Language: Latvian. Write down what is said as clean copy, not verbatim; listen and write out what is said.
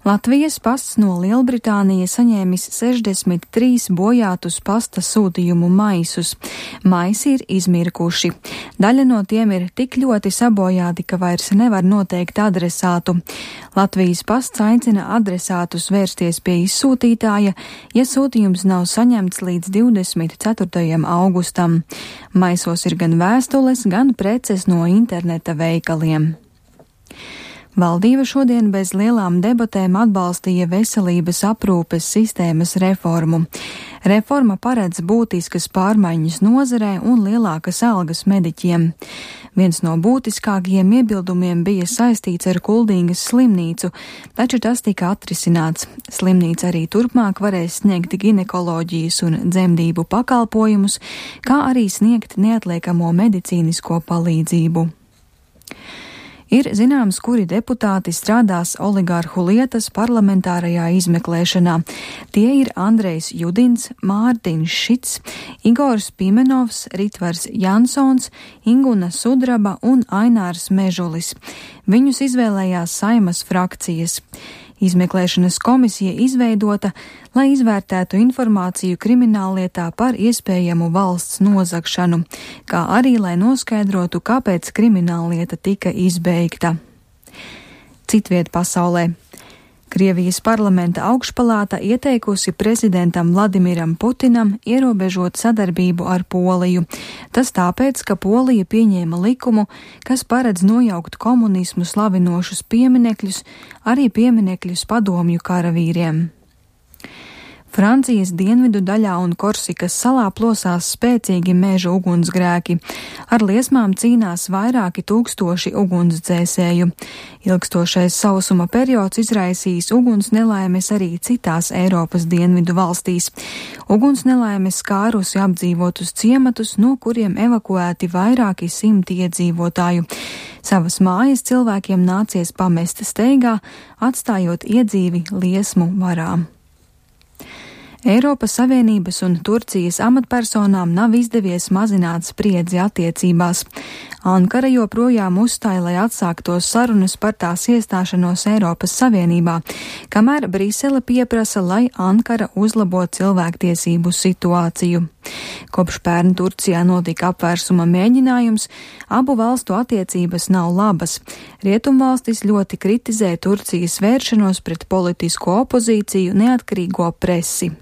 Latvijas pasts no Lielbritānijas saņēmis 63 bojātus pasta sūtījumu maisus. Maisi ir izmirkuši. Daļa no tiem ir tik ļoti sabojāti, ka vairs nevar noteikt adresātu. Latvijas pasts aicina adresātus vērsties pie izsūtītāja, ja sūtījums nav saņemts līdz 24. augustam. Maisos ir gan vēstules, gan preces no interneta veikaliem. Valdība šodien bez lielām debatēm atbalstīja veselības aprūpes sistēmas reformu. Reforma paredz būtiskas pārmaiņas nozarē un lielākas algas mediķiem. Viens no būtiskākajiem iebildumiem bija saistīts ar Kuldīgas slimnīcu, taču tas tika atrisināts. Slimnīca arī turpmāk varēs sniegt ginekoloģijas un dzemdību pakalpojumus, kā arī sniegt neatliekamo medicīnisko palīdzību. Ir zināms, kuri deputāti strādās oligārhu lietas parlamentārajā izmeklēšanā. Tie ir Andrejs Judins, Mārtiņš Šits, Igors Pimenovs, Ritvars Jansons, Inguna Sudraba un Ainārs Mežulis. Viņus izvēlējās Saimas frakcijas. Izmeklēšanas komisija izveidota, lai izvērtētu informāciju krimināllietā par iespējamu valsts nozagšanu, kā arī lai noskaidrotu, kāpēc krimināllieta tika izbeigta. Citviet pasaulē. Krievijas parlamenta augšpalāta ieteikusi prezidentam Vladimiram Putinam ierobežot sadarbību ar Poliju. Tas tāpēc, ka Polija pieņēma likumu, kas paredz nojaukt komunismu slavinošus pieminekļus, arī pieminekļus padomju karavīriem. Francijas dienvidu daļā un Korsikas salā plosās spēcīgi meža ugunsgrēki. Ar liesmām cīnās vairāki tūkstoši ugunsdzēsēju. Ilgstošais sausuma periods izraisīs ugunsnelaimes arī citās Eiropas dienvidu valstīs. Ugunsnelaimes skārusi apdzīvotus ciematus, no kuriem evakuēti vairāki simti iedzīvotāju. Savas mājas cilvēkiem nācies pamest steigā, atstājot iedzīvi liesmu varā. Eiropas Savienības un Turcijas amatpersonām nav izdevies mazināt spriedzi attiecībās. Ankara joprojām uzstāja, lai atsāktos sarunas par tās iestāšanos Eiropas Savienībā, kamēr Brisele pieprasa, lai Ankara uzlabo cilvēktiesību situāciju. Kopš pērn Turcijā notika apvērsuma mēģinājums, abu valstu attiecības nav labas. Rietumvalstis ļoti kritizē Turcijas vēršanos pret politisko opozīciju, neatkarīgo presi.